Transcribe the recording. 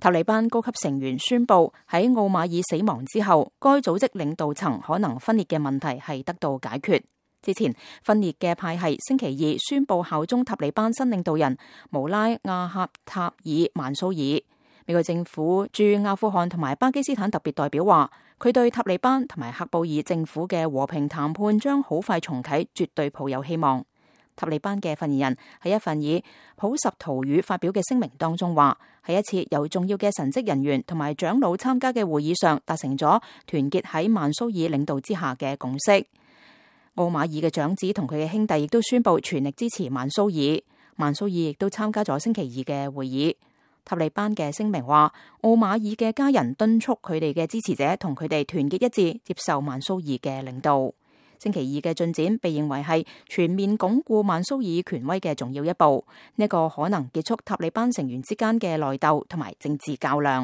塔利班高級成員宣布喺奧馬爾死亡之後，該組織領導層可能分裂嘅問題係得到解決。之前分裂嘅派系星期二宣布效忠塔利班新領導人穆拉亞哈塔爾曼蘇爾。美國政府駐阿富汗同埋巴基斯坦特別代表話，佢對塔利班同埋喀布爾政府嘅和平談判將好快重啟絕對抱有希望。塔利班嘅發言人喺一份以普什圖語發表嘅聲明當中話，喺一次由重要嘅神職人員同埋長老參加嘅會議上達成咗團結喺曼蘇爾領導之下嘅共識。奧馬爾嘅長子同佢嘅兄弟亦都宣布全力支持曼蘇爾。曼蘇爾亦都參加咗星期二嘅會議。塔利班嘅聲明話，奧馬爾嘅家人敦促佢哋嘅支持者同佢哋團結一致，接受曼蘇爾嘅領導。星期二嘅進展被認為係全面鞏固曼蘇爾權威嘅重要一步，呢個可能結束塔利班成員之間嘅內鬥同埋政治較量。